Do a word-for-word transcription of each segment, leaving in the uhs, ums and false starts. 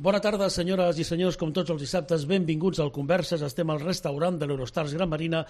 Bona tarda, senyores i senyors, com tots els dissabtes, benvinguts al Converses. Estem al restaurant de l'Eurostars Gran Marina,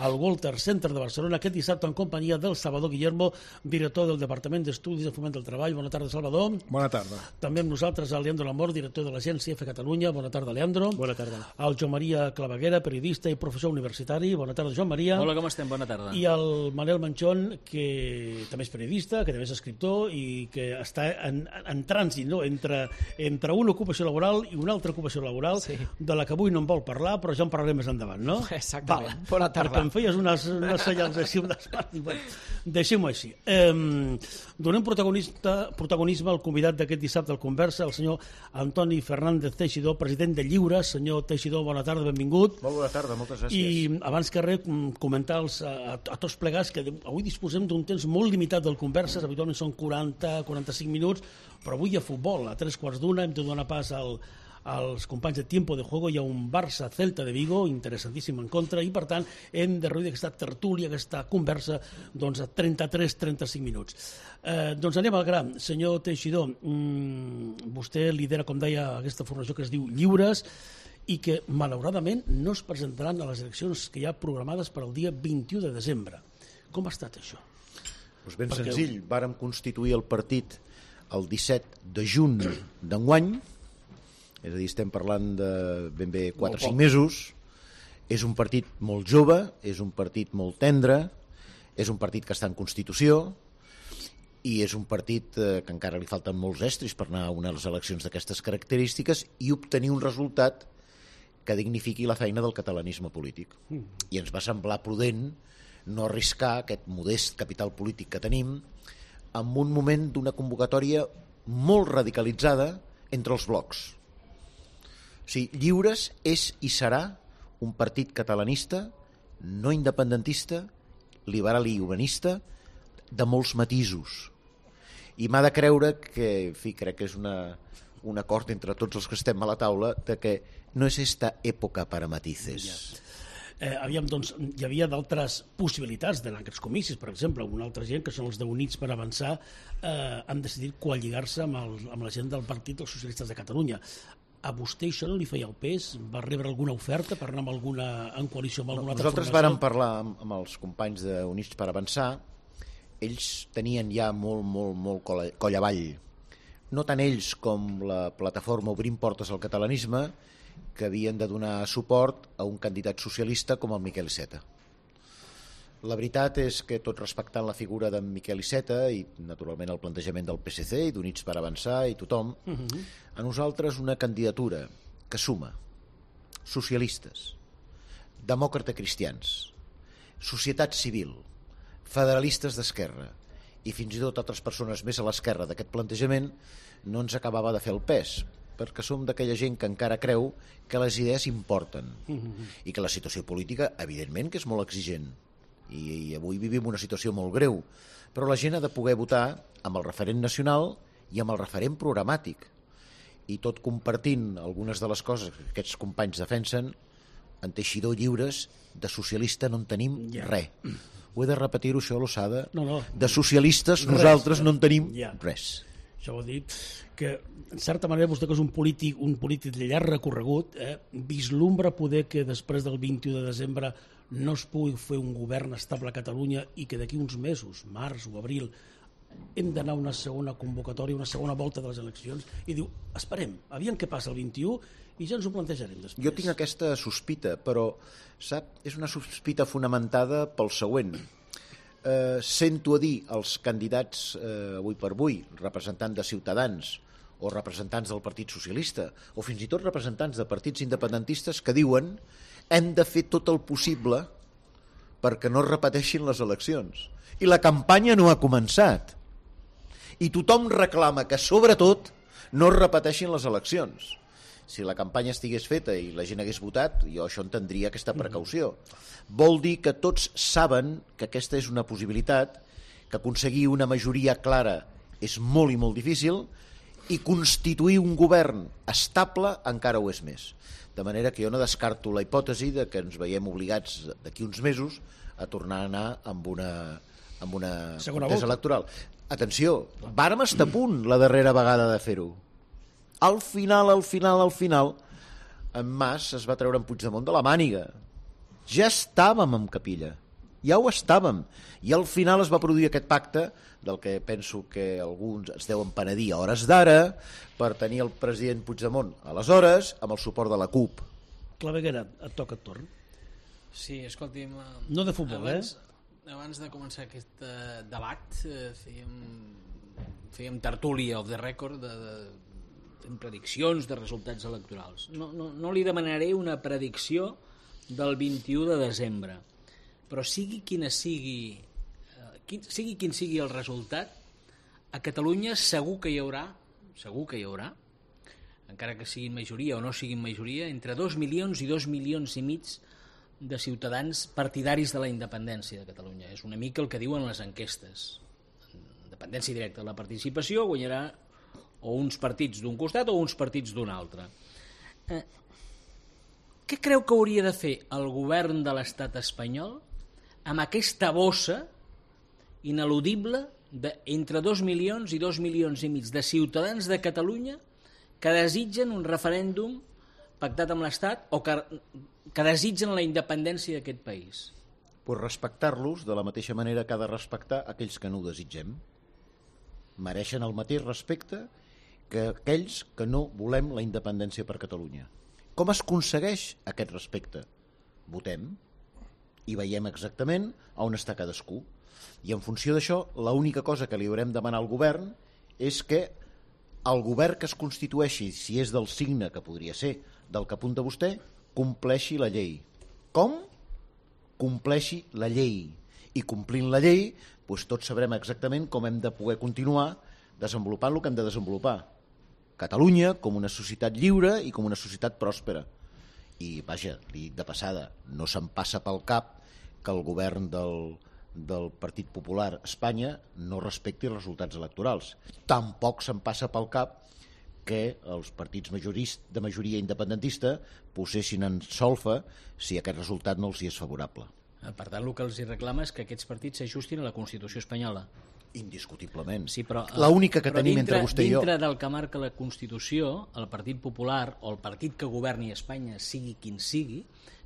al Walter Center de Barcelona, aquest dissabte en companyia del Salvador Guillermo, director del Departament d'Estudis de Foment del Treball. Bona tarda, Salvador. Bona tarda. També amb nosaltres el Leandro Lamor, director de l'Agència F Catalunya. Bona tarda, Leandro. Bona tarda. El Joan Maria Claveguera, periodista i professor universitari. Bona tarda, Joan Maria. Hola, com estem? Bona tarda. I el Manel Manchón, que també és periodista, que també és escriptor i que està en, en trànsit, no? entre, entre una ocupació laboral i una altra ocupació laboral, sí, de la que avui no en vol parlar, però ja en parlarem més endavant, no? Exactament. Val. Bona tarda. Perquè em feies unes, unes senyals així, unes parts, bueno, deixem-ho així. Eh, donem protagonisme al convidat d'aquest dissabte al Conversa, el senyor Antoni Fernández Teixidor, president de Lliures. Senyor Teixidor, bona tarda, benvingut. Molt bona tarda, moltes gràcies. I abans que res, comentar als, a, a tots plegats que avui disposem d'un temps molt limitat del Converses, habitualment són quaranta a quaranta-cinc minuts, però avui hi ha futbol, a tres quarts d'una, hem de donar pas al als companys de Tiempo de Juego. Hi ha un Barça-Celta de Vigo interessantíssim en contra i per tant hem de reduir aquesta tertúlia, aquesta conversa doncs, a trenta-tres a trenta-cinc minuts. Eh, doncs anem al gra. Senyor Teixidor, mmm, vostè lidera, com deia, aquesta formació que es diu Lliures i que malauradament no es presentaran a les eleccions que hi ha programades per al dia vint-i-u de desembre. Com ha estat això? Pues ben Perquè... senzill, vàrem constituir el partit el disset de juny d'enguany, és a dir, estem parlant de ben bé quatre o cinc mesos. És un partit molt jove, és un partit molt tendre, és un partit que està en Constitució i és un partit eh, que encara li falten molts estris per anar a unes eleccions d'aquestes característiques i obtenir un resultat que dignifiqui la feina del catalanisme polític. I ens va semblar prudent no arriscar aquest modest capital polític que tenim en un moment d'una convocatòria molt radicalitzada entre els blocs. O sigui, Lliures és i serà un partit catalanista, no independentista, liberal i humanista, de molts matisos. I m'ha de creure que, en fi, crec que és una, un acord entre tots els que estem a la taula, de que no és esta època para matices. Ja. Eh, aviam, doncs, hi havia d'altres possibilitats d'anar a aquests comicis. Per exemple, una altra gent, que són els de Units per Avançar, eh, han decidit coalligar-se amb, el, amb la gent del Partit dels Socialistes de Catalunya. A vostè això no li feia el pes? Va rebre alguna oferta per anar amb alguna, en coalició amb alguna altra Nosaltres formació? vàrem parlar amb, amb els companys d'Units per Avançar. Ells tenien ja molt, molt, molt coll, coll avall. No tant ells com la plataforma Obrim Portes al Catalanisme, que havien de donar suport a un candidat socialista com el Miquel Iceta. La veritat és que, tot respectant la figura d'en Miquel Iceta i, naturalment, el plantejament del P S C i d'Units per Avançar i tothom, uh-huh. a nosaltres una candidatura que suma socialistes, demòcrata-cristians, societat civil, federalistes d'esquerra i fins i tot altres persones més a l'esquerra d'aquest plantejament no ens acabava de fer el pes, perquè som d'aquella gent que encara creu que les idees importen uh-huh. i que la situació política, evidentment, que és molt exigent. I, i avui vivim una situació molt greu, però la gent ha de poder votar amb el referent nacional i amb el referent programàtic, i tot compartint algunes de les coses que aquests companys defensen. En Teixidor, Lliures, de socialista no en tenim yeah. res. Ho he de repetir-ho, això, a l'ossada. No, no. De socialistes res, nosaltres no en tenim yeah. res. Això vol dir que, en certa manera, vostè que és un polític, un polític de llarg recorregut, eh, vislumbra poder que després del vint-i-u de desembre no es pugui fer un govern estable a Catalunya i que d'aquí uns mesos, març o abril, hem d'anar a una segona convocatòria, una segona volta de les eleccions, i diu, esperem, aviam què passa el vint-i-u i ja ens ho plantejarem després. Jo tinc aquesta sospita, però, sap, és una sospita fonamentada pel següent. Eh, sento a dir els candidats eh, avui per avui, representants de Ciutadans o representants del Partit Socialista o fins i tot representants de partits independentistes que diuen hem de fer tot el possible perquè no es repeteixin les eleccions. I la campanya no ha començat. I tothom reclama que, sobretot, no es repeteixin les eleccions. Si la campanya estigués feta i la gent hagués votat, jo això entendria aquesta precaució. Vol dir que tots saben que aquesta és una possibilitat, que aconseguir una majoria clara és molt i molt difícil, i constituir un govern estable encara ho és més. De manera que jo no descarto la hipòtesi de que ens veiem obligats d'aquí uns mesos a tornar a anar amb una, amb una contesa electoral. Atenció, vàrem estar a punt la darrera vegada de fer-ho. Al final, al final, al final, en Mas es va treure en Puigdemont de la màniga. Ja estàvem en capilla, ja ho estàvem. I al final es va produir aquest pacte, del que penso que alguns es deuen penedir a hores d'ara, per tenir el president Puigdemont aleshores amb el suport de la CUP. Claveguera, et toca et torn. Sí, escolti'm... No de futbol, abans, eh? Abans de començar aquest uh, debat, uh, fèiem, fèiem tertúlia off the record de... de en prediccions de resultats electorals. No, no, no li demanaré una predicció del vint-i-u de desembre, però sigui quina sigui, eh, quin, sigui quin sigui el resultat, a Catalunya segur que hi haurà, segur que hi haurà, encara que siguin majoria o no siguin majoria, entre dos milions i dos milions i mig de ciutadans partidaris de la independència de Catalunya. És una mica el que diuen les enquestes. Independència directa de la participació guanyarà o uns partits d'un costat o uns partits d'un altre. Eh, què creu que hauria de fer el govern de l'estat espanyol amb aquesta bossa ineludible d'entre dos milions i dos milions i mig de ciutadans de Catalunya que desitgen un referèndum pactat amb l'Estat o que, que desitgen la independència d'aquest país? Pues respectar-los de la mateixa manera que ha de respectar aquells que no ho desitgem. Mereixen el mateix respecte que aquells que no volem la independència per Catalunya. Com es aconsegueix aquest respecte? Votem i veiem exactament on està cadascú. I en funció d'això, l'única cosa que li haurem de demanar al govern és que el govern que es constitueixi, si és del signe que podria ser del que apunta vostè, compleixi la llei. Com? Compleixi la llei. I complint la llei, doncs tots sabrem exactament com hem de poder continuar desenvolupant el que hem de desenvolupar. Catalunya com una societat lliure i com una societat pròspera. I, vaja, li dic de passada, no se'n passa pel cap que el govern del, del Partit Popular a Espanya no respecti els resultats electorals. Tampoc se'n passa pel cap que els partits de majoria independentista posessin en solfa si aquest resultat no els hi és favorable. Per tant, el que els hi reclama és que aquests partits s'ajustin a la Constitució espanyola. Indiscutiblement. Sí, però, l'única que però tenim dintre, entre vostè i jo... Dintre del que marca la Constitució, el Partit Popular o el partit que governi Espanya, sigui quin sigui,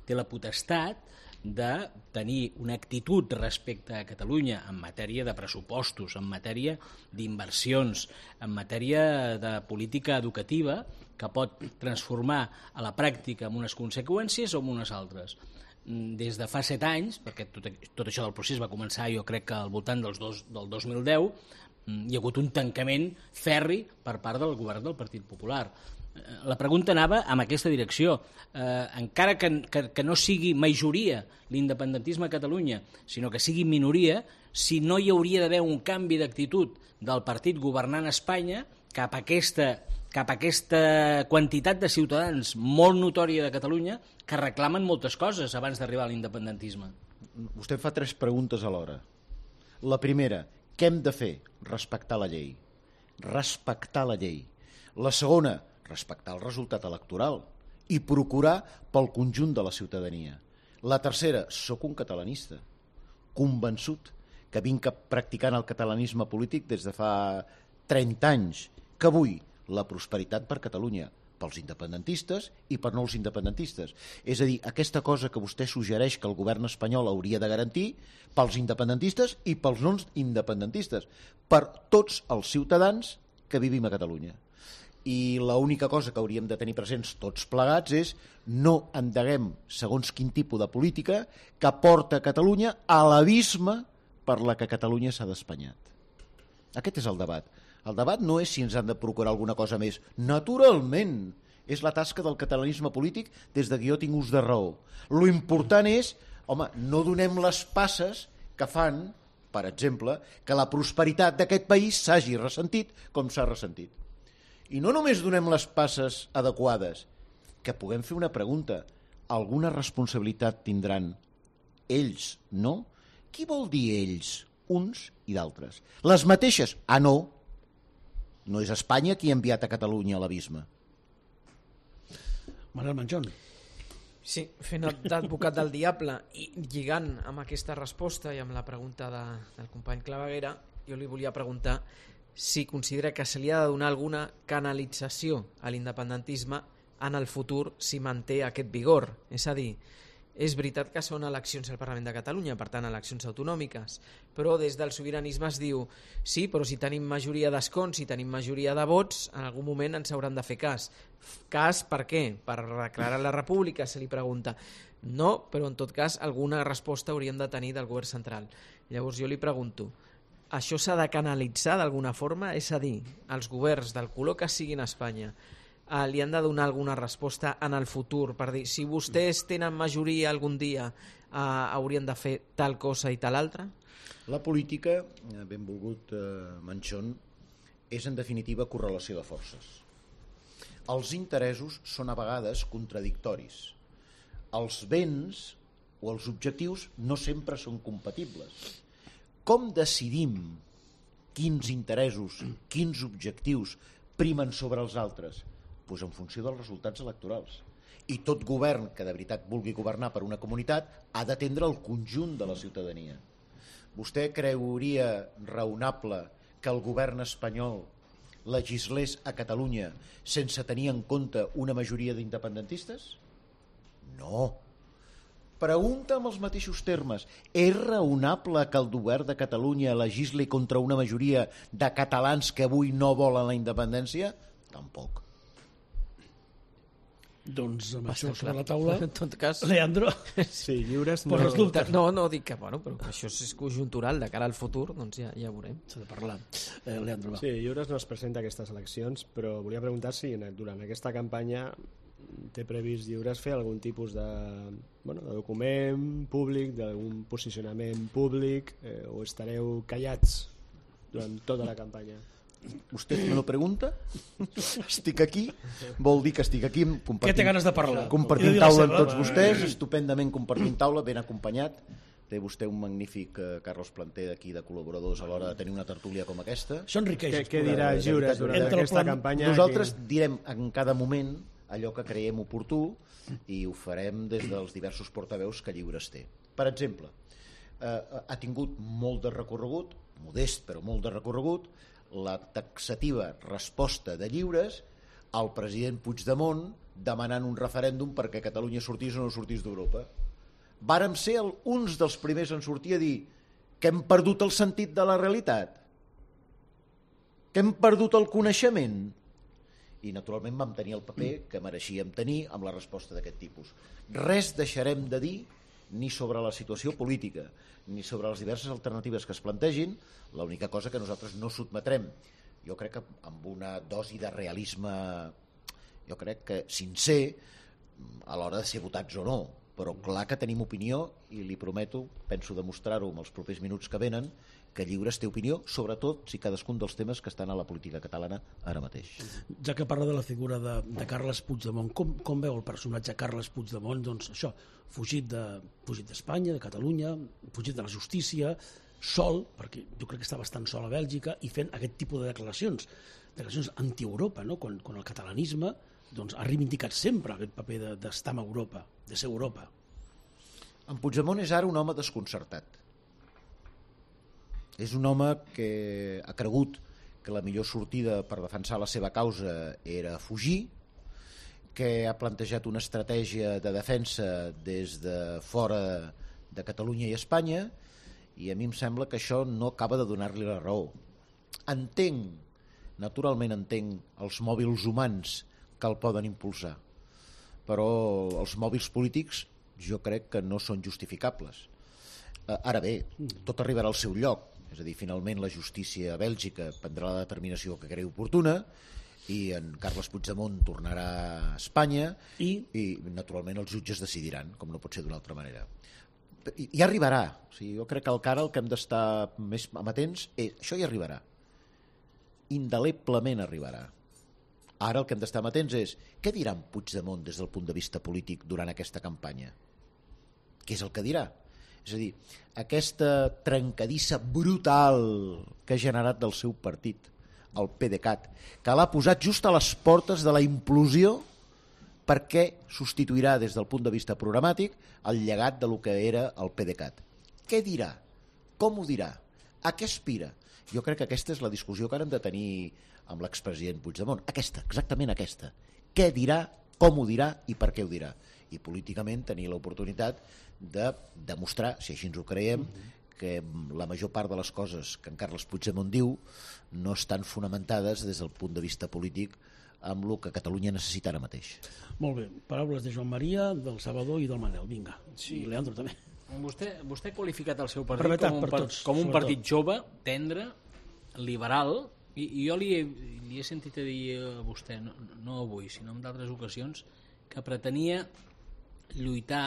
té la potestat de tenir una actitud respecte a Catalunya en matèria de pressupostos, en matèria d'inversions, en matèria de política educativa que pot transformar a la pràctica amb unes conseqüències o amb unes altres. Des de fa set anys, perquè tot, tot això del procés va començar jo crec que al voltant dels dos, del dos mil deu, hi ha hagut un tancament ferri per part del govern del Partit Popular. La pregunta anava en aquesta direcció. Eh, encara que, que, que no sigui majoria l'independentisme a Catalunya, sinó que sigui minoria, si no hi hauria d'haver un canvi d'actitud del partit governant Espanya cap a aquesta cap a aquesta quantitat de ciutadans molt notòria de Catalunya que reclamen moltes coses abans d'arribar a l'independentisme. Vostè fa tres preguntes alhora. La primera, què hem de fer? Respectar la llei. Respectar la llei. La segona, respectar el resultat electoral i procurar pel conjunt de la ciutadania. La tercera, sóc un catalanista, convençut, que vinc practicant el catalanisme polític des de fa trenta anys, que vull la prosperitat per Catalunya, pels independentistes i per no els independentistes. És a dir, aquesta cosa que vostè suggereix que el govern espanyol hauria de garantir pels independentistes i pels no independentistes, per tots els ciutadans que vivim a Catalunya. I l'única cosa que hauríem de tenir presents tots plegats és no endeguem segons quin tipus de política que porta Catalunya a l'abisme per la que Catalunya s'ha despanyat. Aquest és el debat. El debat no és si ens han de procurar alguna cosa més. Naturalment, és la tasca del catalanisme polític des de que jo tinc ús de raó. Lo important és, home, no donem les passes que fan, per exemple, que la prosperitat d'aquest país s'hagi ressentit com s'ha ressentit. I no només donem les passes adequades, que puguem fer una pregunta. Alguna responsabilitat tindran ells, no? Qui vol dir ells? Uns i d'altres. Les mateixes? Ah, no. No és Espanya qui ha enviat a Catalunya a l'abisme. Manel Manjón. Sí, fent d'advocat del diable i lligant amb aquesta resposta i amb la pregunta de, del company Claveguera, jo li volia preguntar si considera que se li ha de donar alguna canalització a l'independentisme en el futur si manté aquest vigor. És a dir, és veritat que són eleccions al Parlament de Catalunya, per tant eleccions autonòmiques, però des del sobiranisme es diu sí, però si tenim majoria d'escons, si tenim majoria de vots, en algun moment ens hauran de fer cas. Cas per què? Per declarar la república, se li pregunta. No, però en tot cas alguna resposta hauríem de tenir del govern central. Llavors jo li pregunto, això s'ha de canalitzar d'alguna forma? És a dir, els governs del color que siguin a Espanya Uh, li han de donar alguna resposta en el futur per dir, si vostès tenen majoria algun dia uh, haurien de fer tal cosa i tal altra? La política, benvolgut eh, Manchón, és en definitiva correlació de forces. Els interessos són a vegades contradictoris. Els béns o els objectius no sempre són compatibles. Com decidim quins interessos, quins objectius primen sobre els altres? Pues en funció dels resultats electorals. I tot govern que de veritat vulgui governar per una comunitat ha d'atendre el conjunt de la ciutadania. Vostè creuria raonable que el govern espanyol legislés a Catalunya sense tenir en compte una majoria d'independentistes? No. Pregunta amb els mateixos termes. És raonable que el govern de Catalunya legisli contra una majoria de catalans que avui no volen la independència? Tampoc. Doncs amb Basta això sobre clar. la taula, En tot cas, Leandro, Sí, lliures no... per resulta, no, no dic que, bueno, però que això és conjuntural de cara al futur, doncs ja, ja veurem. s'ha de parlar. Eh, Leandro, va. Sí, lliures no es presenta a aquestes eleccions, però volia preguntar si durant aquesta campanya té previst lliures fer algun tipus de, bueno, de document públic, d'algun posicionament públic, eh, o estareu callats durant tota la campanya? Vostè me lo pregunta? Estic aquí, vol dir que estic aquí Què té ganes de parlar? I compartint de dir la taula amb seva. tots vostès, estupendament compartint taula, ben acompanyat. Té vostè un magnífic eh, Carlos Planter d'aquí de col·laboradors a l'hora de tenir una tertúlia com aquesta. Això enriqueix. Què, què el dirà programa. Lliures durant Entre el aquesta plan- campanya? Nosaltres direm en cada moment allò que creiem oportú i ho farem des dels diversos portaveus que Lliures té. Per exemple, eh, ha tingut molt de recorregut, modest però molt de recorregut, la taxativa resposta de Lliures al president Puigdemont demanant un referèndum perquè Catalunya sortís o no sortís d'Europa. Vàrem ser el, uns dels primers en sortir a dir que hem perdut el sentit de la realitat, que hem perdut el coneixement, i naturalment vam tenir el paper que mereixíem tenir amb la resposta d'aquest tipus. Res deixarem de dir ni sobre la situació política ni sobre les diverses alternatives que es plantegin. L'única cosa que nosaltres no sotmetrem, jo crec que amb una dosi de realisme, jo crec que sincer a l'hora de ser votats o no, però clar que tenim opinió i li prometo, penso demostrar-ho en els propers minuts que venen, que Lliures té opinió, sobretot si cadascun dels temes que estan a la política catalana ara mateix. Ja que parla de la figura de, de Carles Puigdemont, com, com veu el personatge Carles Puigdemont? Doncs això, fugit de fugit d'Espanya, de Catalunya, fugit de la justícia, sol, perquè jo crec que està bastant sol a Bèlgica, i fent aquest tipus de declaracions, declaracions anti-Europa, no? quan, quan el catalanisme doncs, ha reivindicat sempre aquest paper de, d'estar amb Europa, de ser Europa. En Puigdemont és ara un home desconcertat. És un home que ha cregut que la millor sortida per defensar la seva causa era fugir, que ha plantejat una estratègia de defensa des de fora de Catalunya i Espanya, i a mi em sembla que això no acaba de donar-li la raó. Entenc, naturalment entenc, els mòbils humans que el poden impulsar, però els mòbils polítics jo crec que no són justificables. Ara bé, tot arribarà al seu lloc, és a dir, finalment la justícia a Bèlgica prendrà la determinació que cregui oportuna i en Carles Puigdemont tornarà a Espanya i, i naturalment els jutges decidiran, com no pot ser d'una altra manera. I, i arribarà. O sigui, jo crec que encara el que hem d'estar més amatents és això hi arribarà. Indeleblement arribarà. Ara el que hem d'estar amatents és què dirà en Puigdemont des del punt de vista polític durant aquesta campanya? Què és el que dirà? És a dir, aquesta trencadissa brutal que ha generat del seu partit, el PDeCAT, que l'ha posat just a les portes de la implosió perquè substituirà des del punt de vista programàtic el llegat de lo que era el PDeCAT. Què dirà? Com ho dirà? A què aspira? Jo crec que aquesta és la discussió que ara hem de tenir amb l'expresident Puigdemont. Aquesta, exactament aquesta. Què dirà, com ho dirà i per què ho dirà. I políticament tenir l'oportunitat de demostrar, si així ens ho creiem, que la major part de les coses que en Carles Puigdemont diu no estan fonamentades des del punt de vista polític amb el que Catalunya necessita ara mateix. Molt bé, paraules de Joan Maria, del Salvador i del Manel, vinga. Sí. I Leandro també. Vostè, vostè ha qualificat el seu partit Brevetat com un, per par tots, com un sobretot. partit jove, tendre, liberal, i, i jo li he, li he sentit a dir a vostè, no, no avui, sinó en d'altres ocasions, que pretenia lluitar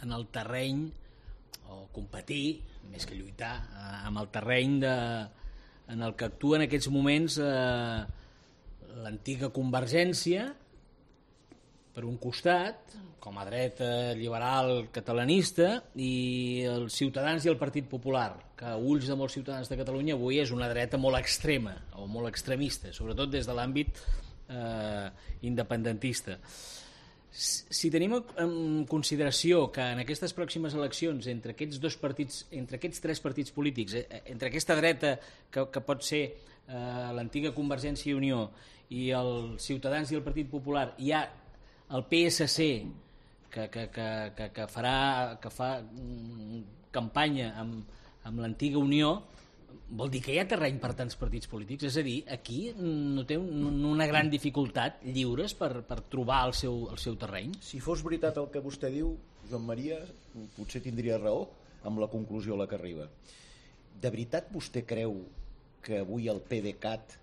en el terreny o competir, més que lluitar, eh, amb el terreny de, en el que actua en aquests moments eh, l'antiga Convergència, per un costat, com a dreta liberal catalanista, i els Ciutadans i el Partit Popular, que a ulls de molts ciutadans de Catalunya avui és una dreta molt extrema o molt extremista, sobretot des de l'àmbit eh, independentista. Si tenim en consideració que en aquestes pròximes eleccions entre aquests dos partits, entre aquests tres partits polítics, entre aquesta dreta que, que pot ser eh, l'antiga Convergència i Unió i els Ciutadans i el Partit Popular, hi ha el P S C que, que, que, que, que farà que fa campanya amb, amb l'antiga Unió, vol dir que hi ha terreny per tants partits polítics, és a dir, aquí no té un, una gran dificultat lliures per, per trobar el seu, el seu terreny. Si fos veritat el que vostè diu, Joan Maria, potser tindria raó amb la conclusió a la que arriba. De veritat vostè creu que avui el PDeCAT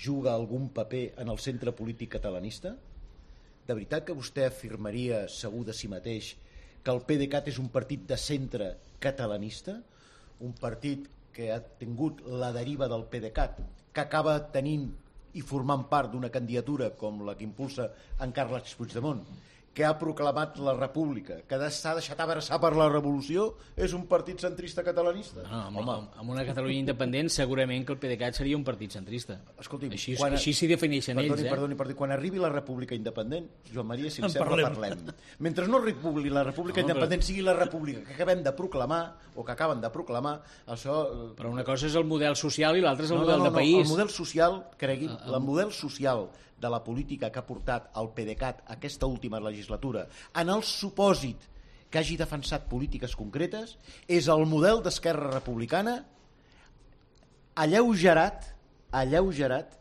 juga algun paper en el centre polític catalanista? De veritat que vostè afirmaria, segur de si mateix, que el PDeCAT és un partit de centre catalanista? Un partit que ha tingut la deriva del PDeCAT, que acaba tenint i formant part d'una candidatura com la que impulsa en Carles Puigdemont, que ha proclamat la república, que s'ha deixat abraçar per la revolució, és un partit centrista catalanista? No, amb, amb, amb una Catalunya independent segurament que el PDeCAT seria un partit centrista. Escolti'm, així, quan, així s'hi defineixen perdoni, ells. Eh? Perdoni, perdoni, quan arribi la república independent, Joan Maria, si li En sembla, parlem. parlem. Mentre no republi la república No, però- independent sigui la república que acabem de proclamar, o que acaben de proclamar, això... eh, Però una cosa és el model social i l'altra és el no, model no, no, de país. El model social, cregui'm, el model social de la política que ha portat el PDeCAT aquesta última legislatura, en el supòsit que hagi defensat polítiques concretes, és el model d'Esquerra Republicana alleugerat, alleugerat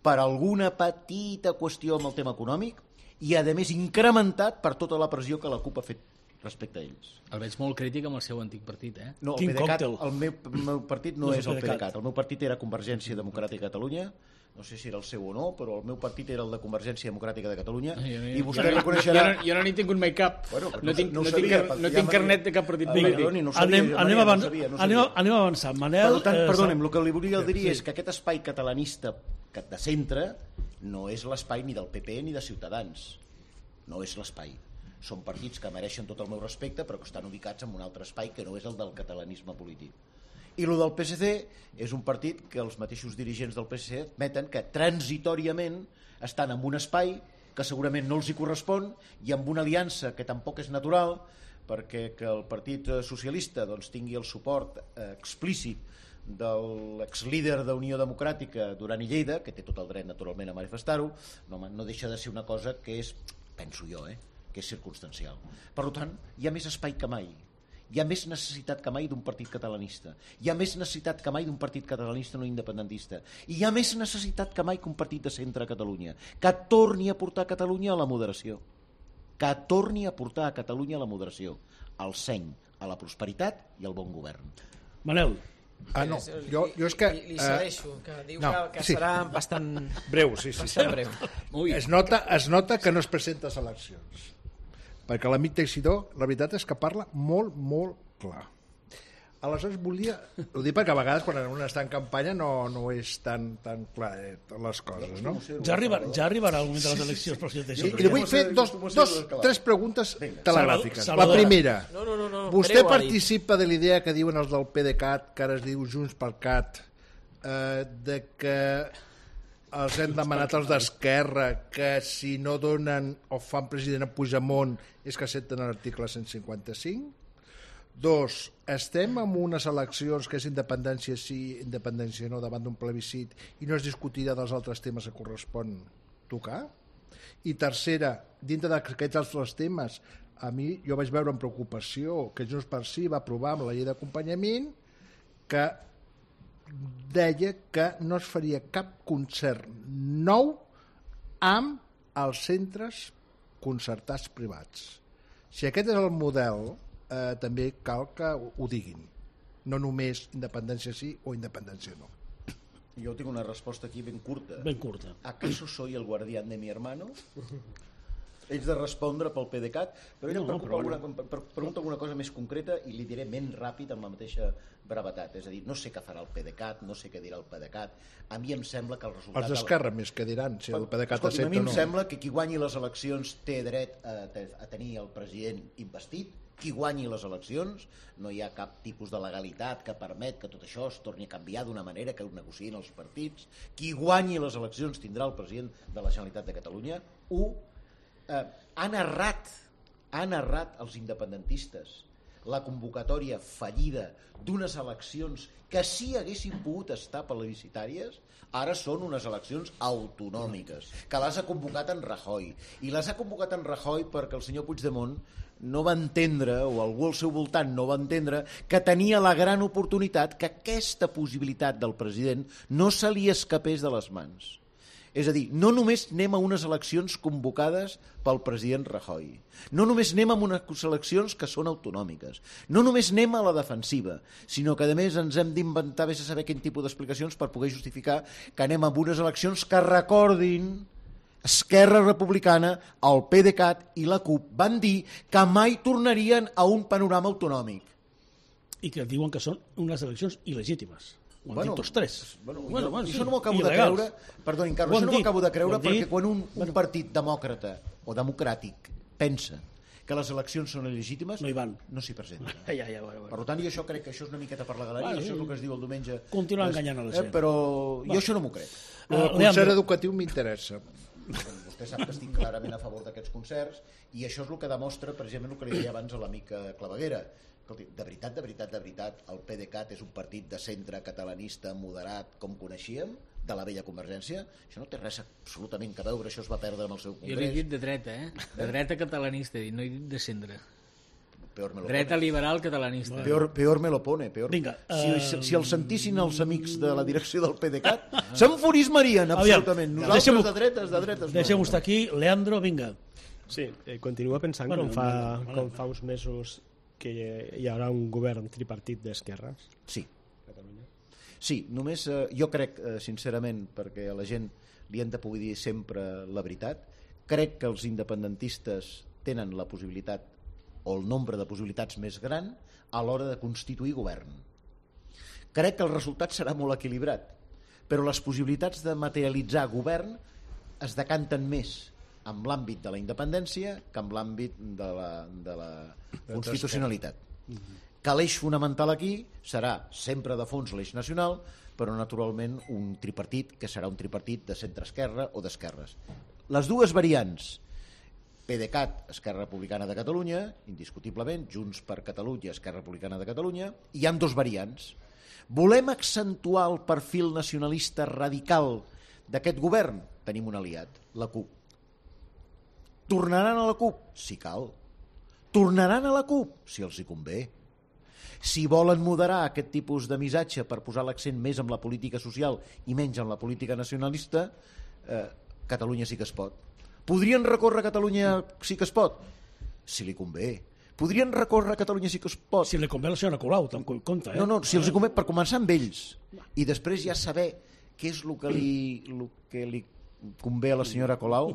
per alguna petita qüestió amb el tema econòmic i, a més, incrementat per tota la pressió que la CUP ha fet respecte a ells. El veig molt crític amb el seu antic partit, eh? No, el Quin PDeCAT, còctel. el meu, el meu partit no, No és és el el PDeCAT. PDeCAT. El meu partit era Convergència Democràtica de Catalunya, no sé si era el seu o no, però el meu partit era el de Convergència Democràtica de Catalunya, i vostè jo, reconeixerà... Jo no, jo no n'he tingut mai cap. Bueno, però no tinc, no ho no sabia, tinc, perquè no ja tinc m'ha- carnet de cap partit Ah, polític. perdoni, no ho sabia, anem, Joan anem, Maria, avan no ho sabia, no ho anem, sabia. anem avançant. Manel, Per tant, eh, perdoni'm, Sal- el que li volia dir Sí. és que aquest espai catalanista que- de centre no és l'espai ni del P P ni de Ciutadans. No és l'espai. Són partits que mereixen tot el meu respecte, però que estan ubicats en un altre espai que no és el del catalanisme polític. I el del P S C és un partit que els mateixos dirigents del P S C admeten que transitòriament estan en un espai que segurament no els hi correspon i amb una aliança que tampoc és natural, perquè que el Partit Socialista doncs, tingui el suport eh, explícit de l'exlíder d'Unió Democràtica Duran i Lleida, que té tot el dret naturalment a manifestar-ho, no, no deixa de ser una cosa que és, penso jo, eh, que és circumstancial. Per tant, hi ha més espai que mai. Hi ha més necessitat que mai d'un partit catalanista. Hi ha més necessitat que mai d'un partit catalanista no independentista. I hi ha més necessitat que mai que un partit de centre a Catalunya, que torni a portar Catalunya a la moderació. Que torni a portar a Catalunya a la moderació, al seny, a la prosperitat i al bon govern. Manel, Ah, no, jo, jo és que... Li, li eh, cedeixo, que diu no, que, que sí. serà bastant, breu, sí, sí. sí. bastant breu. Ui, Es nota, es nota que no es presenta a eleccions. Perquè l'amic Teixidor, la veritat és que parla molt, molt clar. Aleshores volia... Ho dic perquè a vegades quan un està en campanya no, no és tan, tan clar eh, les coses, no? ja, arribar, ja arribarà el moment de les eleccions, però si I, deixa... i li vull fer dos, dos, tres preguntes telegràfiques. La Salvador. primera, No, no, no, no, vostè breu, ha dit. participa de la idea que diuen els del PDeCAT, que ara es diu Junts pel Cat, eh, de que els hem demanat els d'Esquerra que si no donen o fan president a Puigdemont és que accepten l'article cent cinquanta-cinc? Dos, estem en unes eleccions que és independència sí, independència no, davant d'un plebiscit i no es discutirà dels altres temes que correspon tocar. I tercera, dintre d'aquests altres temes, a mi jo vaig veure amb preocupació que Junts per Sí va aprovar amb la llei d'acompanyament que deia que no es faria cap concert nou amb els centres concertats privats. Si aquest és el model, eh, també cal que ho diguin. No només independència sí o independència no. Jo tinc una resposta aquí ben curta. Ben curta. ¿Acaso soy el guardián de mi hermano? Ells de respondre pel PDeCAT, però ella No, no, no, però alguna, bueno. per, per, pregunta alguna cosa més concreta i li diré menys ràpid amb la mateixa brevetat. És a dir, no sé què farà el PDeCAT, no sé què dirà el PDeCAT. A mi em sembla que el resultat... Els d'Esquerra més que diran si el PDeCAT Escolti, a accepta mi o em no. sembla que qui guanyi les eleccions té dret a, a tenir el president investit. Qui guanyi les eleccions, no hi ha cap tipus de legalitat que permet que tot això es torni a canviar d'una manera que ho negociïn els partits. Qui guanyi les eleccions tindrà el president de la Generalitat de Catalunya. Un, eh, han errat, han errat els independentistes la convocatòria fallida d'unes eleccions que sí haguessin pogut estar plebiscitàries, ara són unes eleccions autonòmiques, que les ha convocat en Rajoy. I les ha convocat en Rajoy perquè el senyor Puigdemont no va entendre, o algú al seu voltant no va entendre, que tenia la gran oportunitat que aquesta possibilitat del president no se li escapés de les mans. És a dir, no només anem a unes eleccions convocades pel president Rajoy, no només anem a unes eleccions que són autonòmiques, no només anem a la defensiva, sinó que a més ens hem d'inventar vés a saber quin tipus d'explicacions per poder justificar que anem a unes eleccions que recordin Esquerra Republicana, el PDeCAT i la CUP van dir que mai tornarien a un panorama autonòmic. I que diuen que són unes eleccions il·legítimes. Ho han bueno, dit tots tres. Bueno, bueno, jo, bueno, això sí, no m'ho acabo de il·legals. creure, perdoni, Carlos, això no m'ho acabo de creure perquè dit. quan un, un Bueno. partit demòcrata o democràtic pensa que les eleccions són il·legítimes, No hi van. no s'hi presenta. Ja, ja, ja, bueno, Per bueno. tant, jo això crec que això és una miqueta per la galeria, Bueno, això és el que es diu el diumenge. Continua És- enganyant a la eh, gent. Però jo això no m'ho crec. El Uh, concert Leandro. educatiu m'interessa. Vostè sap que estic clarament a favor d'aquests concerts i això és el que demostra precisament el que li deia abans a l'amic Claveguera. Escolti, de veritat, de veritat, de veritat, el PDeCAT és un partit de centre catalanista moderat com coneixíem, de la vella Convergència? Això no té res absolutament que veure, això es va perdre amb el seu Jo l'he congrés. dit de dreta, eh? De dreta catalanista, he dit, no he dit de centre. Peor me lo Dreta pone. liberal catalanista. Peor, peor me lo pone. Peor. Vinga, si, eh, si, si el sentissin els amics de la direcció del PDeCAT, s'enfurismarien absolutament. Aviam, Nosaltres deixem-ho- de dretes, de dretes. no. Deixem-ho estar aquí. Leandro, vinga. Sí, eh, continua pensant Bueno, bueno, com, fa, bueno, bueno. com fa uns mesos que hi haurà un govern tripartit d'esquerres Sí. a Catalunya. Sí, només eh, jo crec, eh, sincerament, perquè a la gent li hem de poder dir sempre la veritat, crec que els independentistes tenen la possibilitat o el nombre de possibilitats més gran a l'hora de constituir govern. Crec que el resultat serà molt equilibrat, però les possibilitats de materialitzar govern es decanten més amb l'àmbit de la independència que amb l'àmbit de la, de la constitucionalitat. Que l'eix fonamental aquí serà sempre de fons l'eix nacional, però naturalment un tripartit que serà un tripartit de centre-esquerra o d'esquerres. Les dues variants, PDeCAT, Esquerra Republicana de Catalunya, indiscutiblement, Junts per Catalunya, Esquerra Republicana de Catalunya, hi han dos variants. Volem accentuar el perfil nacionalista radical d'aquest govern? Tenim un aliat, la CUP. Tornaran a la CUP? Si cal. Tornaran a la CUP? Si els hi convé. Si volen moderar aquest tipus de missatge per posar l'accent més en la política social i menys en la política nacionalista, eh, Catalunya sí que es pot. Podrien recórrer a Catalunya sí que es pot? Si li convé. Podrien recórrer a Catalunya sí que es pot? Si li convé la senyora Colau, te'n compte, eh? No, no, si els hi convé, per començar amb ells i després ja saber què és el que li, el que li convé a la senyora Colau.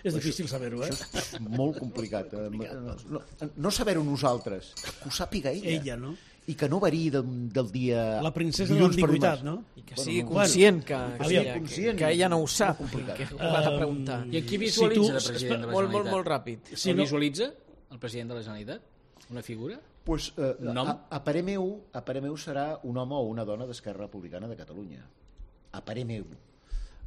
És difícil saber-ho, eh? Això és molt complicat. No, no, no saber-ho nosaltres, que ho sàpiga ella. Ella, no? I que no variï de, del dia... La princesa de dilluns per l'ambigüitat, dimarts. no? I que Bueno, sigui no. conscient que, Bueno, que, aviam, ella, conscient. que ella no ho sap, complicat. que ho ha de preguntar. I aquí Si visualitza tu- el president de la Molt, molt, Generalitat? molt ràpid. Si Si no- visualitza el president de la Generalitat? Una figura? Pues, eh, Un nom? a, a parer meu, a parer meu serà un home o una dona d'Esquerra Republicana de Catalunya. A parer meu.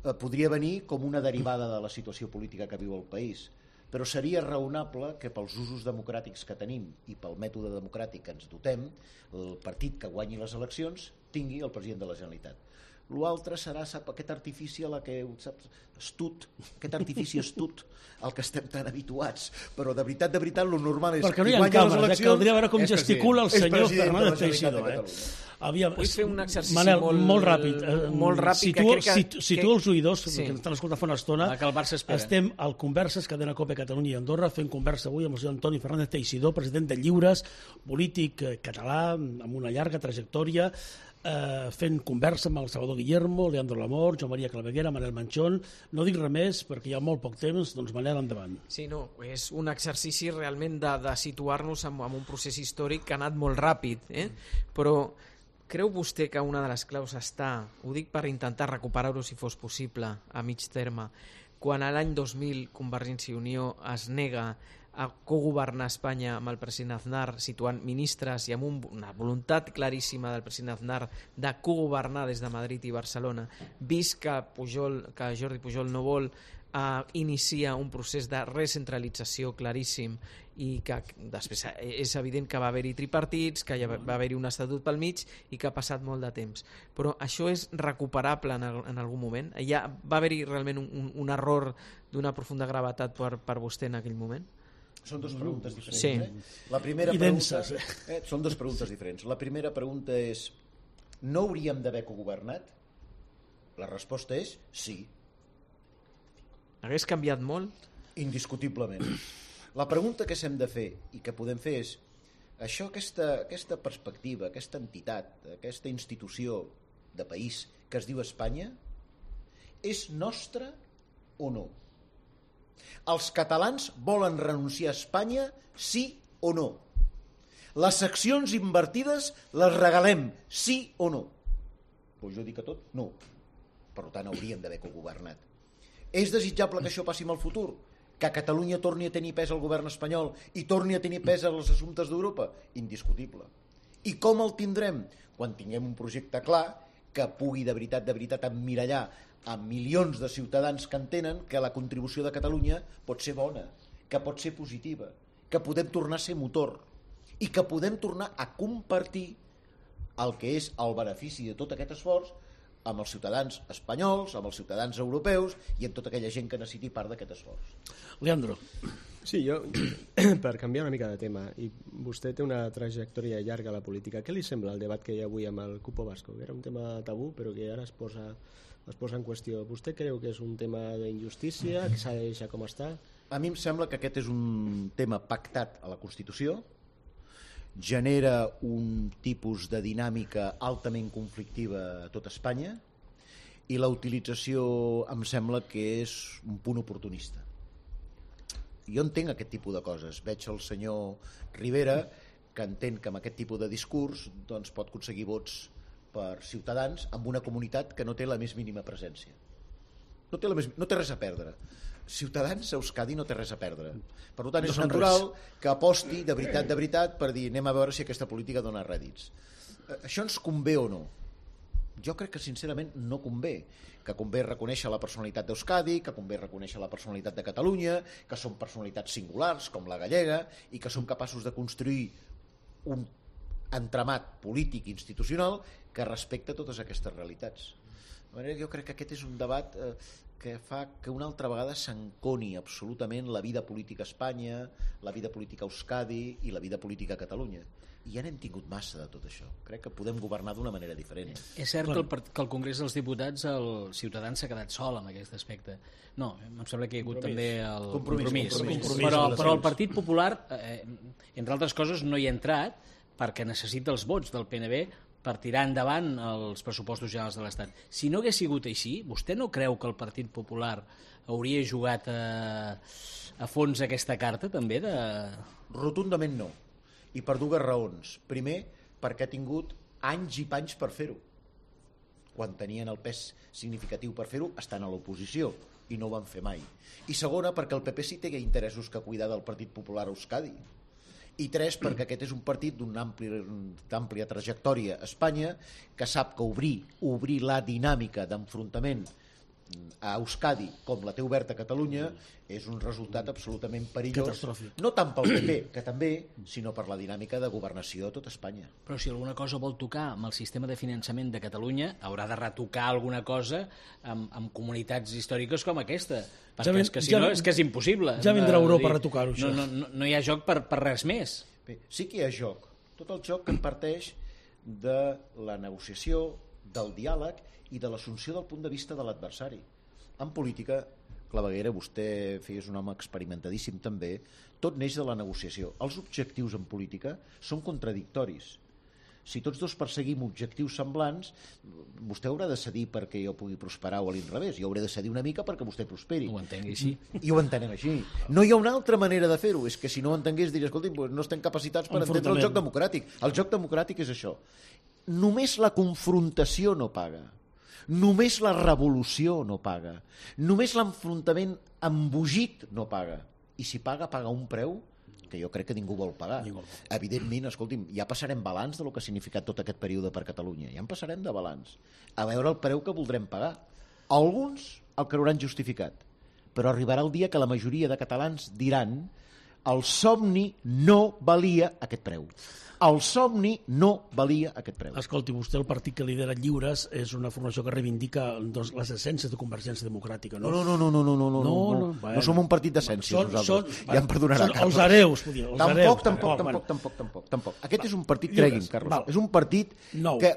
Eh, podria venir com una derivada de la situació política que viu el país, però seria raonable que pels usos democràtics que tenim i pel mètode democràtic que ens dotem, el partit que guanyi les eleccions tingui el president de la Generalitat. L'altre serà, sap, aquest artifici a la que, saps, estut, aquest artifici estut al que estem tan habituats, però de veritat, de veritat, lo normal és perquè no qui hi ha guanya les càmeres, eleccions... eh? Caldria veure com és gesticula el president. senyor És president de la Fernández Generalitat de Teixidor. Eh? Catalunya. Aviam, Vull fer un exercici Manel, molt- molt ràpid. Eh, molt ràpid, Situa, que crec que- situ, situa que- els oïdors, sí. que ens estan escoltant fa una estona. Ah, que el Barça espera. Estem al Converses, cadena Cope Catalunya i Andorra, fent conversa avui amb el senyor Antoni Fernández Teixidor, president de Lliures, polític eh, català, amb una llarga trajectòria, eh, fent conversa amb el Salvador Guillermo, Leandro Lamor, Joan Maria Claveguera, Manel Manchón. No dic res més perquè hi ha molt poc temps, doncs Manel, endavant. Sí, no, és un exercici realment de, de situar-nos en, en un procés històric que ha anat molt ràpid, eh? Però creu vostè que una de les claus està, ho dic per intentar recuperar-ho si fos possible a mig terme, quan a l'any dos mil Convergència i Unió es nega a cogovernar Espanya amb el president Aznar, situant ministres i amb un, una voluntat claríssima del president Aznar de cogovernar des de Madrid i Barcelona, vist que, Pujol, que Jordi Pujol no vol Uh, inicia un procés de recentralització claríssim i que després és evident que va haver-hi tripartits, que va haver-hi un estatut pel mig i que ha passat molt de temps. Però això és recuperable en, en algun moment? Ja va haver-hi realment un, un, un error d'una profunda gravetat per, per vostè en aquell moment? Són dues preguntes diferents. Sí. Eh? La primera I pregunta, denses. eh, són dues preguntes diferents. La primera pregunta és: no hauríem d'haver cogovernat? La resposta és sí. Hagués canviat molt? Indiscutiblement. La pregunta que s'hem de fer i que podem fer és: això, aquesta, aquesta perspectiva, aquesta entitat, aquesta institució de país que es diu Espanya, és nostra o no? Els catalans volen renunciar a Espanya, sí o no? Les accions invertides les regalem, sí o no? Doncs jo dic que tot, no. Per tant, hauríem d'haver cogovernat. És desitjable que això passi en el futur? Que Catalunya torni a tenir pes al govern espanyol i torni a tenir pes als assumptes d'Europa? Indiscutible. I com el tindrem? Quan tinguem un projecte clar que pugui de veritat, de veritat emmirallar a milions de ciutadans que entenen que la contribució de Catalunya pot ser bona, que pot ser positiva, que podem tornar a ser motor i que podem tornar a compartir el que és el benefici de tot aquest esforç amb els ciutadans espanyols, amb els ciutadans europeus i amb tota aquella gent que necessiti part d'aquest esforç. Leandro. Sí, jo, per canviar una mica de tema, i vostè té una trajectòria llarga a la política, què li sembla el debat que hi ha avui amb el Cupo Vasco? Que era un tema tabú, però que ara es posa, es posa en qüestió. Vostè creu que és un tema d'injustícia, que s'ha de deixar com està? A mi em sembla que aquest és un tema pactat a la Constitució, genera un tipus de dinàmica altament conflictiva a tot Espanya i la utilització em sembla que és un punt oportunista. Jo entenc aquest tipus de coses. Veig el senyor Rivera que entén que amb aquest tipus de discurs doncs, pot aconseguir vots per ciutadans amb una comunitat que no té la més mínima presència. No té, la més, no té res a perdre. Ciutadans a Euskadi no té res a perdre. Per tant, és no natural que aposti de veritat, de veritat, per dir anem a veure si aquesta política dona rèdits. Això ens convé o no? Jo crec que sincerament no convé. Que convé reconèixer la personalitat d'Euskadi, que convé reconèixer la personalitat de Catalunya, que són personalitats singulars com la gallega i que som capaços de construir un entramat polític i institucional que respecta totes aquestes realitats. De manera que jo crec que aquest és un debat eh, que fa que una altra vegada s'enconi absolutament la vida política a Espanya, la vida política a Euskadi i la vida política a Catalunya. I ja n'hem tingut massa de tot això. Crec que podem governar d'una manera diferent. És cert que el, part- que el Congrés dels Diputats, el Ciutadans s'ha quedat sol en aquest aspecte. No, em sembla que hi ha hagut Compromís. també el Compromís, compromís. compromís. Compromís Però, amb les però el eleccions. Partit Popular, eh, entre altres coses, no hi ha entrat perquè necessita els vots del P N B per tirar endavant els pressupostos generals de l'Estat. Si no hagués sigut així, vostè no creu que el Partit Popular hauria jugat a, a fons aquesta carta també? De... Rotundament no. I per dues raons. Primer, perquè ha tingut anys i panys per fer-ho. Quan tenien el pes significatiu per fer-ho, estan a l'oposició i no ho van fer mai. I segona, perquè el P P sí té interessos que cuidar del Partit Popular a Euskadi. I tres, perquè aquest és un partit d'una àmplia trajectòria a Espanya que sap que obrir, obrir la dinàmica d'enfrontament a Euskadi com la té oberta a Catalunya és un resultat absolutament perillós, catastròfic. no tant pel P P, que també, sinó per la dinàmica de governació a tot Espanya. Però si alguna cosa vol tocar amb el sistema de finançament de Catalunya, haurà de retocar alguna cosa amb, amb comunitats històriques com aquesta, perquè Ja ven- és que si ja no ven- és que és impossible. ja vindrà Eh, Europa dir, a retocar-ho, això. No, no, no, no hi ha joc per, per res més. Bé, sí que hi ha joc. Tot el joc que en parteix de la negociació, del diàleg i de l'assumpció del punt de vista de l'adversari. En política, Claveguera, vostè feies un home experimentadíssim també, tot neix de la negociació. Els objectius en política són contradictoris. Si tots dos perseguim objectius semblants, vostè haurà de cedir perquè jo pugui prosperar o a l'inrevés. Jo hauré de cedir una mica perquè vostè prosperi. Ho entengui així. I ho entenem així. No hi ha una altra manera de fer-ho. És que si no ho entengués, diria, escolti, doncs no estem capacitats per entendre el Enfrontament. joc democràtic. El joc democràtic és això. Només la confrontació no paga. Només la revolució no paga. Només l'enfrontament embogit no paga. I si paga, paga un preu que jo crec que ningú vol pagar. Ningú vol. Evidentment, escolti'm, ja passarem balanç de lo que ha significat tot aquest període per Catalunya. Ja en passarem de balanç. A veure el preu que voldrem pagar. Alguns el creuran justificat, però arribarà el dia que la majoria de catalans diran el somni no valia aquest preu. El somni no valia aquest preu. Escolti, vostè, el partit que lidera Lliures és una formació que reivindica doncs, les essències de Convergència Democràtica, no? No, no, no, no, no, no, no, No, no, no, no, bueno. no som un partit d'essències Són- nosaltres. són- Ja em perdonarà, són Carles. els hereus, vull dir, els tampoc, hereus, tampoc, tampoc, tampoc, bueno. tampoc, tampoc, tampoc. Aquest és un partit, Lliures, cregui'm, Carlos, val. és un partit Nou. que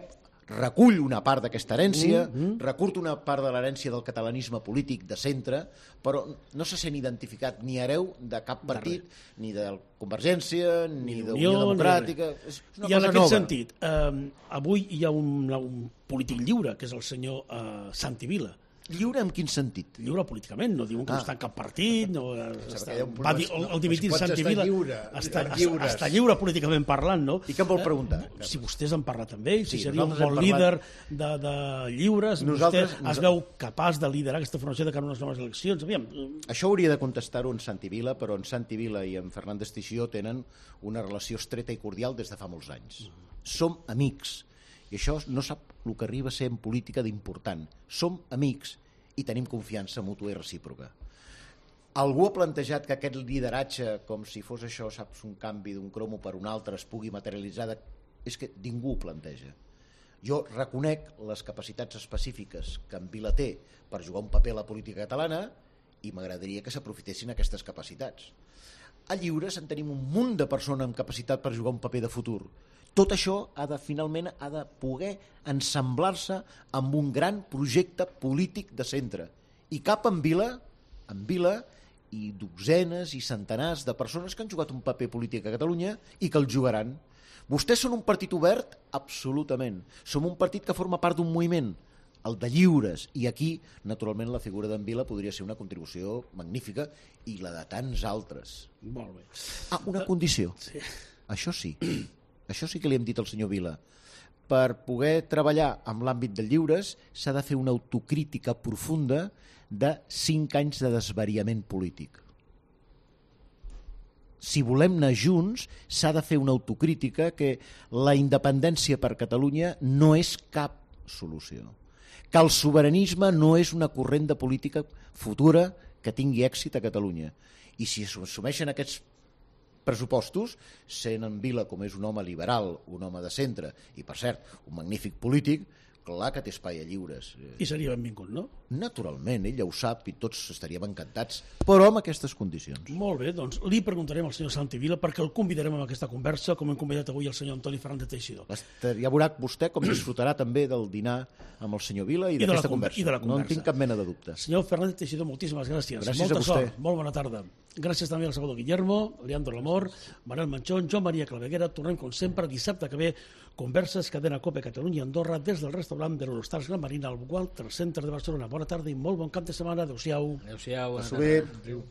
recull una part d'aquesta herència, Mm, mm. recull una part de l'herència del catalanisme polític de centre, però no se sent identificat ni hereu de cap partit, ni de Convergència, ni d'Unió Democràtica. És una I en cosa aquest nova. sentit, eh, avui hi ha un, un polític lliure, que és el senyor eh, Santi Vila. Lliure en quin sentit? Lliure políticament, no diuen que Ah. no està en cap partit, no, que està, hi ha un va dir, problema, el, el dimitit no, Santi pots estar Vila lliure, està, estar està, lliures. està lliure políticament parlant, no? I què em vol preguntar? Eh, si vostès han parlat amb ell, si Sí, seria un nosaltres bon hem líder parlat- de, de lliures, Nosaltres- vostè es veu capaç de liderar aquesta formació de cara a unes noves eleccions. Aviam, Això hauria de contestar-ho en Santi Vila, però en Santi Vila i en Fernández Teixidó tenen una relació estreta i cordial des de fa molts anys. Som amics, i això no sap el que arriba a ser en política d'important. Som amics i tenim confiança mútua i recíproca. Algú ha plantejat que aquest lideratge, com si fos això, saps, un canvi d'un cromo per un altre, es pugui materialitzar... De... És que ningú ho planteja. Jo reconec les capacitats específiques que en Vila té per jugar un paper a la política catalana i m'agradaria que s'aprofitessin aquestes capacitats. A Lliures en tenim un munt de persones amb capacitat per jugar un paper de futur. Tot això ha de, finalment ha de poder ensamblar-se amb un gran projecte polític de centre. I cap en Vila, en Vila i dotzenes i centenars de persones que han jugat un paper polític a Catalunya i que el jugaran. Vostès són un partit obert? Absolutament. Som un partit que forma part d'un moviment, el de Lliures, i aquí, naturalment, la figura d'en Vila podria ser una contribució magnífica i la de tants altres. molt bé. Ah, una condició. Sí. Això sí. Això sí que li hem dit al senyor Vila. Per poder treballar amb l'àmbit de Lliures s'ha de fer una autocrítica profunda de cinc anys de desvariament polític. Si volem anar junts, s'ha de fer una autocrítica que la independència per Catalunya no és cap solució. Que el sobiranisme no és una corrent de política futura que tingui èxit a Catalunya. I si assumeixen aquests pressupostos, sent en Vila com és un home liberal, un home de centre i, per cert, un magnífic polític, clar que té espai a Lliures. I seria benvingut, no? Naturalment, ell ja ho sap i tots estaríem encantats, però amb aquestes condicions. Molt bé, doncs li preguntarem al senyor Santi Vila perquè el convidarem a aquesta conversa, com hem convidat avui el senyor Antoni Fernández Teixidó. Ja veurà vostè com disfrutarà també del dinar amb el senyor Vila i I de la d'aquesta con- conversa. i de la No en conversa. tinc cap mena de dubte. Senyor Fernández Teixidó, moltíssimes gràcies. Gràcies Molta a vostè. sort, molt bona tarda. Gràcies també al Salvador Guillermo, Leandro Lamor, Manel Manchón, Joan Maria Claveguera. Tornem, com sempre, dissabte que ve, converses Cadena Cope Catalunya i Andorra des del restaurant de l'Horostars Gran Marina al Walter Center de Barcelona. Bona tarda i molt bon cap de setmana. Adéu-siau. Adéu-siau. bona Passeu bé. tarda.